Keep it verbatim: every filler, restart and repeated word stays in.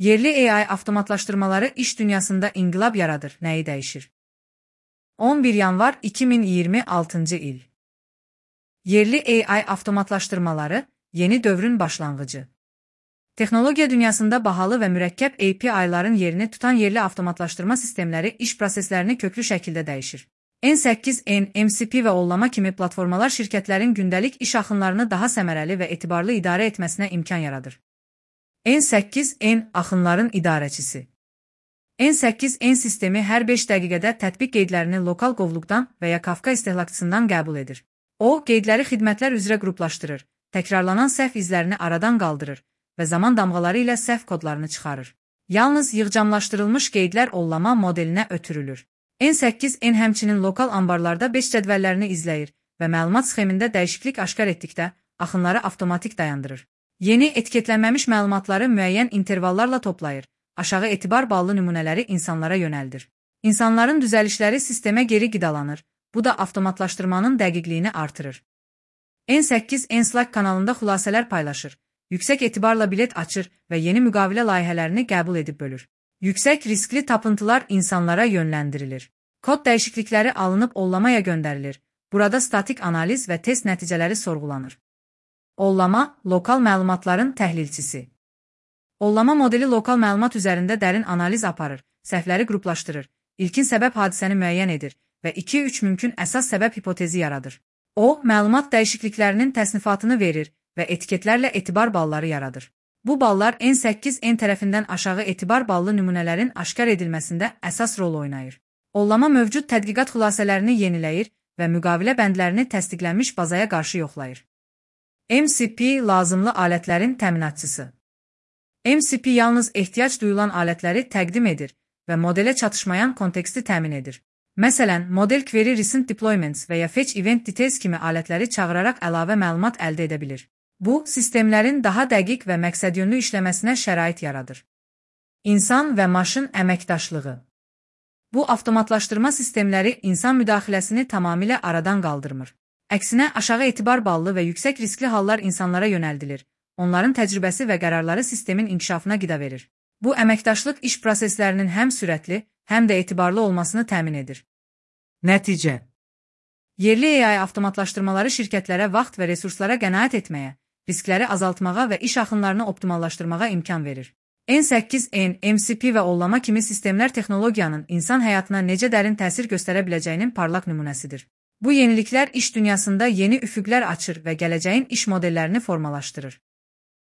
Yerli A I avtomatlaşdırmaları iş dünyasında inqilab yaradır. Nəyi dəyişir? on bir yanvar iki min iyirmi altıncı il. Yerli A I avtomatlaşdırmaları yeni dövrün başlanğıcı. Texnologiya dünyasında bahalı və mürəkkəb A P I'ların yerini tutan yerli avtomatlaşdırma sistemləri iş proseslərini köklü şəkildə dəyişir. N səkkiz N, M C P və Ollama kimi platformalar şirkətlərin gündəlik iş axınlarını daha səmərəli və etibarlı idarə etməsinə imkan yaradır. N səkkiz N axınların idarəçisi. N səkkiz N sistemi hər beş dəqiqədə tətbiq qeydlərini lokal qovluqdan və ya Kafka istehlakçısından qəbul edir. O, qeydləri xidmətlər üzrə qruplaşdırır, təkrarlanan səhv izlərini aradan qaldırır və zaman damğaları ilə səhv kodlarını çıxarır. Yalnız yığcamlaşdırılmış qeydlər Ollama modelinə ötürülür. N səkkiz N həmçinin lokal ambarlarda beş cədvəllərini izləyir və məlumat sxemində dəyişiklik aşkar etdikdə axınları avtomatik dayandırır. Yeni etiketlənməmiş məlumatları müəyyən intervallarla toplayır, aşağı etibar ballı nümunələri insanlara yönəldir. İnsanların düzəlişləri sistemə geri qidalanır, bu da avtomatlaşdırmanın dəqiqliyini artırır. N səkkiz N Slack kanalında xülasələr paylaşır, yüksək etibarla bilet açır və yeni müqavilə layihələrini qəbul edib bölür. Yüksək riskli tapıntılar insanlara yönləndirilir. Kod dəyişiklikləri alınıb Ollamaya göndərilir. Burada statik analiz və test nəticələri sorğulanır. Ollama, lokal məlumatların təhlilçisi. Ollama modeli lokal məlumat üzərində dərin analiz aparır, səhvləri qruplaşdırır, ilkin səbəb hadisəni müəyyən edir və iki üç mümkün əsas səbəb hipotezi yaradır. O, məlumat dəyişikliklərinin təsnifatını verir və etiketlərlə etibar balları yaradır. Bu ballar N səkkiz N tərəfindən aşağı etibar ballı nümunələrin aşkar edilməsində əsas rol oynayır. Ollama mövcud tədqiqat xülasələrini yeniləyir və müqavilə bəndlərini təsdiqlənmiş bazaya qarşı yoxlayır. M C P lazımlı alətlərin təminatçısı. M C P yalnız ehtiyac duyulan alətləri təqdim edir və modelə çatışmayan konteksti təmin edir. Məsələn, model Query Recent Deployments və ya Fetch Event Details kimi alətləri çağıraraq əlavə məlumat əldə edə bilir. Bu, sistemlərin daha dəqiq və məqsədyönlü işləməsinə şərait yaradır. İnsan və maşın əməkdaşlığı. Bu, avtomatlaşdırma sistemləri insan müdaxiləsini tamamilə aradan qaldırmır. Əksinə, aşağı etibar ballı və yüksək riskli hallar insanlara yönəldilir. Onların təcrübəsi və qərarları sistemin inkişafına qida verir. Bu, əməkdaşlıq iş proseslərinin həm sürətli, həm də etibarlı olmasını təmin edir. Nəticə. Yerli A I avtomatlaşdırmaları şirkətlərə vaxt və resurslara qənaət etməyə, riskləri azaltmağa və iş axınlarını optimallaşdırmağa imkan verir. N səkkiz N, M C P və Ollama kimi sistemlər texnologiyanın insan həyatına necə dərin təsir göstərə biləcəyinin parlaq nümunəsidir. Bu yeniliklər iş dünyasında yeni üfüqlər açır və gələcəyin iş modellərini formalaşdırır.